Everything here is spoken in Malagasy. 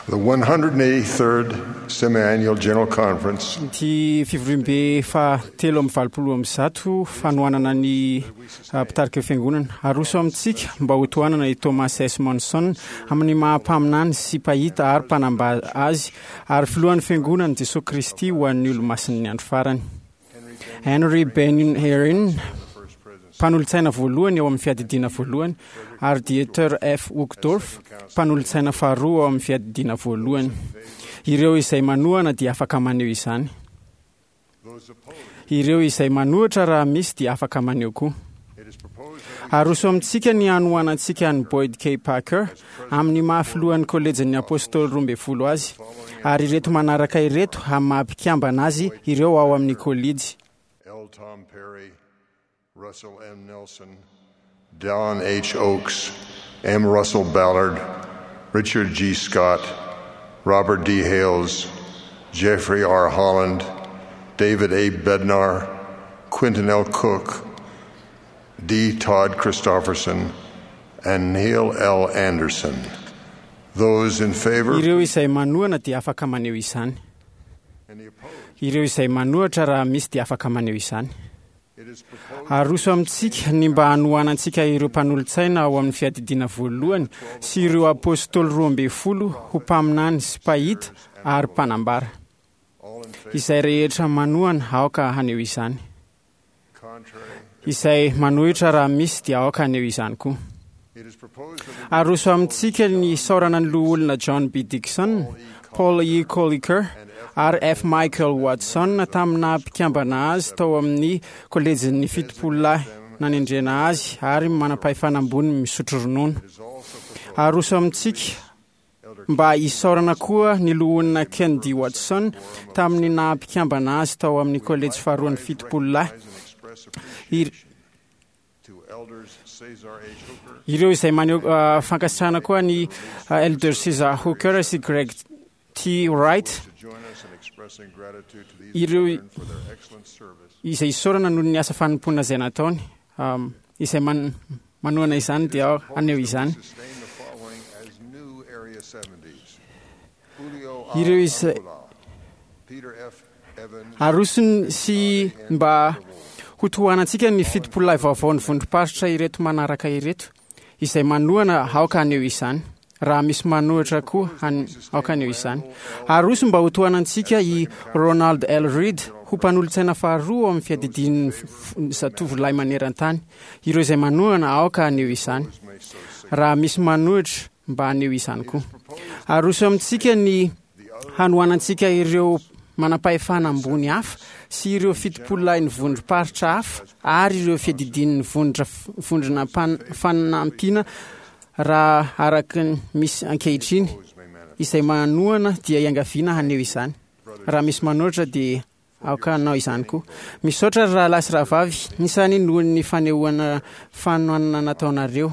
The 183rd Semi-Annual General Conference Ity fivoriambe faha-183 fanohanana ny mpitarika ny fiangonana. Aroso amintsika mba ho tohanana i Thomas S. Monson amin'ny maha mpaminany sy mpahita ary mpanambara azy ary filohan'ny fiangonan'i Jesoa Kristy ho an'ny Olomasin'ny Andro Farany. Henry Benyon Herrin, mpanolotsaina voalohany ao amin'ny fiadidiana voalohany, ary Dieter F. Uchtdorf, mpanolotsaina faharoa ao amin'ny fiadidiana voalohany. Ireo izay manohana dia afaka maneho izany. Ireo izay manohitra raha misy dia afaka maneho koa. Aroso amintsika ny hanohanantsika an'i Boyd K. Packer amin'ny maha filohan'ny Kolejin'ny Apôstôly 12 azy, ary ireto manaraka ireto amin'ny maha mpikambana azy ireo ao amin'ny kolejy. L. Tom Perry, Russell M. Nelson, Don H. Oaks, M. Russell Ballard, Richard G. Scott, Robert D. Hales, Jeffrey R. Holland, David A. Bednar, Quentin L. Cook, D. Todd Christofferson, and Neil L. Anderson. Those in favor? Ireo izay manohana dia afaka maneho izany. Any opposed? Ireo izay manohitra raha misy dia afaka maneho izany. It is proposed Aroso amintsika ny mba hanohanantsika ireo mpanolotsaina ao amin'ny fiadidiana voalohany sy ireo apôstôly 12 ho mpaminany sy mpahita ary mpanambara. all in favor, Izay rehetra manohana aoka haneho izany. contrary. Izay manohitra raha misy dia aoka haneho izany koa. It is proposed that we Aroso amintsika ny isaorana ny loholona John B. Dixon, Paul E. Colliker ary F. Michael Watson tamin'ny mpikambana azy tao amin'ny kolejin'ny 70 lahy nanendrena azy ary manam-pahefana ambony misotro ronono. is also proposed Aroso amintsika mba isaorana koa ny loholona Ken D. Watson tamin'ny naha mpikambana azy tao amin'ny kolejy faharoan'ny 70 lahy. and express Ir- appreciation to Elders Cesar H. Hooker, Ireo izay maneho fankasitrahana koa ny Elder Cesar Hooker sy Greg T. Wright to join us in expressing gratitude to these Ireo- brethren for their excellent service. izay isaorana noho ny asa fanompoana izay nataony. Izay manohana izany dia haneho izany. Sustain the following as new Area 70s. Julio A. Ireo izay- Angula, Peter F. Evans, Arosony sy mba ho tohanantsika ny 70 lahy vaovao ny vondrom-paritra ireto manaraka ireto. Izay manohana aoka haneho izany. Raha misy manohitra koa aoka haneho izany. Aroso mba ho tohanantsika i Ronald L. Reed ho mpanolotsaina faharoa ao amin'ny fiadidian'ny zatovolahy maneran-tany. Ireo izay manohana aoka haneho izany. Raha misy manohitra mba haneho izany koa. Aroso amintsika ny hanohanantsika ireo manam-pahefana ambony hafa sy ireo 70 lahy ny vondrom-paritra hafa ary ireo fiadidian'ny vondrona fanampiana raha araka ny misy ankehitriny. Izay manohana dia iangaviana haneho izany. Raha misy manohitra dia aoka hanao izany koa. Misaotra ry rahalahy sy rahavavy nisany noho ny fanehoana fanohanana nataonareo.